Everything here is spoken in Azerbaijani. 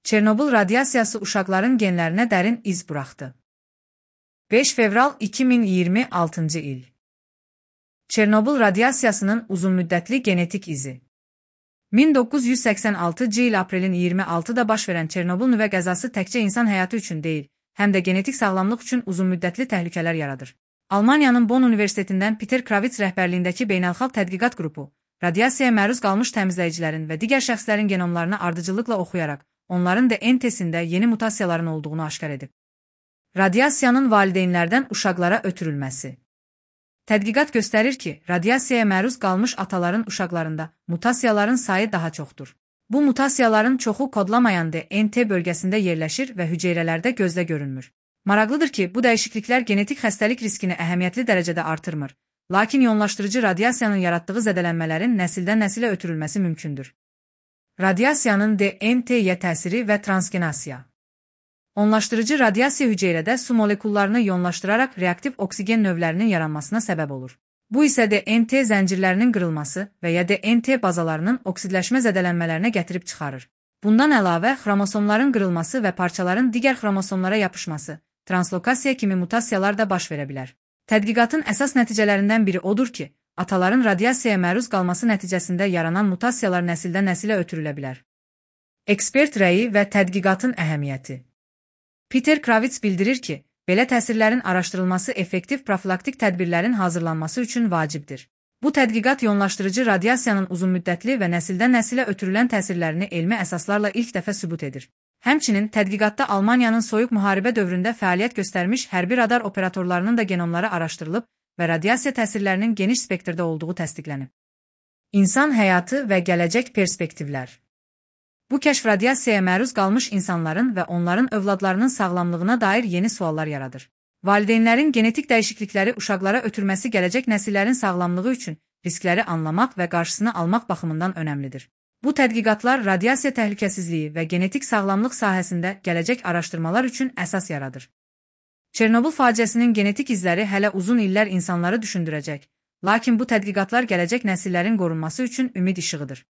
Çernobıl radiasiyası uşaqların genlərinə dərin iz buraxdı. 5 fevral 2026 il. Çernobıl radiasiyasının uzunmüddətli genetik izi. 1986 il aprelin 26-da baş verən Çernobıl nüvə qəzası təkcə insan həyatı üçün deyil, həm də genetik sağlamlıq üçün uzunmüddətli təhlükələr yaradır. Almaniyanın Bonn Universitetindən Peter Kravitz rəhbərliyindəki beynəlxalq tədqiqat qrupu, radiasiyaya məruz qalmış təmizləyicilərin və digər şəxslərin genomlarını ardıcıllıqla oxuyaraq, onların DNT-sində yeni mutasiyaların olduğunu aşkar edib. Radiasiyanın valideynlərdən uşaqlara ötürülməsi. Tədqiqat göstərir ki, radiasiyaya məruz qalmış ataların uşaqlarında mutasiyaların sayı daha çoxdur. Bu mutasiyaların çoxu kodlamayan DNT bölgəsində yerləşir və hüceyrələrdə gözlə görünmür. Maraqlıdır ki, bu dəyişikliklər genetik xəstəlik riskini əhəmiyyətli dərəcədə artırmır, lakin iyonlaşdırıcı radiasiyanın yaratdığı zədələnmələrin nəsildən nəsilə ötürülməsi mümkündür. Radiasiyanın DNT-yə təsiri və transgenasiya. Onlaşdırıcı radiasiya hüceyrədə su molekullarını iyonlaşdıraraq reaktiv oksigen növlərinin yaranmasına səbəb olur. Bu isə DNT zəncirlərinin qırılması və ya DNT bazalarının oksidləşmə zədələnmələrinə gətirib çıxarır. Bundan əlavə, xromosomların qırılması və parçaların digər xromosomlara yapışması, translokasiya kimi mutasiyalar da baş verə bilər. Tədqiqatın əsas nəticələrindən biri odur ki, ataların radiasiyaya məruz qalması nəticəsində yaranan mutasiyalar nəsildən nəsilə ötürülə bilər. Ekspert rəyi və tədqiqatın əhəmiyyəti. Peter Kravitz bildirir ki, belə təsirlərin araşdırılması effektiv profilaktik tədbirlərin hazırlanması üçün vacibdir. Bu tədqiqat iyonlaşdırıcı radiasiyanın uzunmüddətli və nəsildən nəsilə ötürülən təsirlərini elmi əsaslarla ilk dəfə sübut edir. Həmçinin tədqiqatda Almaniyanın soyuq müharibə dövründə fəaliyyət göstərmiş hərbi radar operatorlarının da genomları araşdırılıb və radiasiya təsirlərinin geniş spektrdə olduğu təsdiqlənib. İnsan həyatı və gələcək perspektivlər. Bu kəşf radiasiyaya məruz qalmış insanların və onların övladlarının sağlamlığına dair yeni suallar yaradır. Valideynlərin genetik dəyişiklikləri uşaqlara ötürməsi gələcək nəsillərin sağlamlığı üçün riskləri anlamaq və qarşısını almaq baxımından önəmlidir. Bu tədqiqatlar radiasiya təhlükəsizliyi və genetik sağlamlıq sahəsində gələcək araşdırmalar üçün əsas yaradır. Çernobıl faciəsinin genetik izləri hələ uzun illər insanları düşündürəcək, lakin bu tədqiqatlar gələcək nəsillərin qorunması üçün ümid işığıdır.